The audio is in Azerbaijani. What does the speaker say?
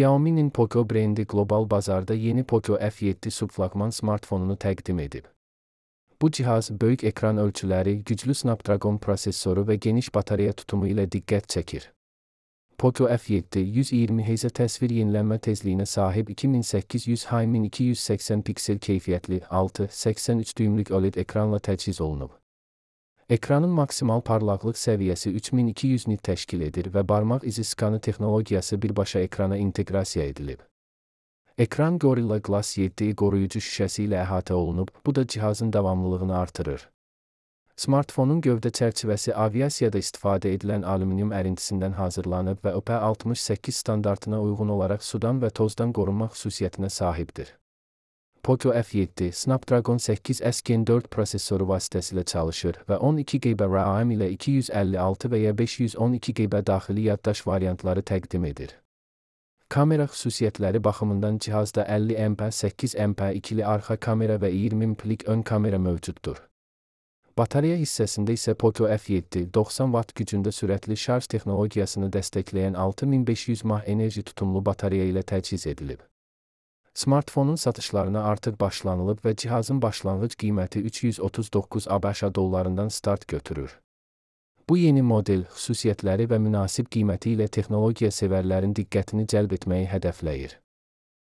Xiaomi'nin Poco brendi qlobal bazarda yeni Poco F7 subflaqman smartfonunu təqdim edib. Bu cihaz böyük ekran ölçüləri, güclü Snapdragon prosesoru və geniş batareya tutumu ilə diqqət çəkir. Poco F7 120 Hz təsvir yenilənmə tezliyinə sahib 2800x1280 piksel keyfiyyətli 6.83 düymlük OLED ekranla təchiz olunub. Ekranın maksimal parlaqlıq səviyyəsi 3200 nit təşkil edir və barmaq izi skanı texnologiyası birbaşa ekrana inteqrasiya edilib. Ekran Gorilla Glass 7 qoruyucu şüşəsi ilə əhatə olunub, bu da cihazın davamlılığını artırır. Smartfonun gövdə çərçivəsi aviasiyada istifadə edilən alüminium ərintisindən hazırlanıb və IP68 standartına uyğun olaraq sudan və tozdan qorunma xüsusiyyətinə sahibdir. Poco F7 Snapdragon 8S Gen 4 prosesoru vasitəsilə çalışır və 12 GB RAM ilə 256 və ya 512 GB daxili yaddaş variantları təqdim edir. Kamera xüsusiyyətləri baxımından cihazda 50 MP, 8 MP ikili arxa kamera və 20 MP-lik ön kamera mövcuddur. Batareya hissəsində isə Poco F7 90 Watt gücündə sürətli şarj texnologiyasını dəstəkləyən 6500 mAh enerji tutumlu batareya ilə təchiz edilib. Smartfonun satışlarına artıq başlanılıb və cihazın başlanğıc qiyməti 339 ABŞ dollarından start götürür. Bu yeni model xüsusiyyətləri və münasib qiyməti ilə texnologiya sevərlərin diqqətini cəlb etməyi hədəfləyir.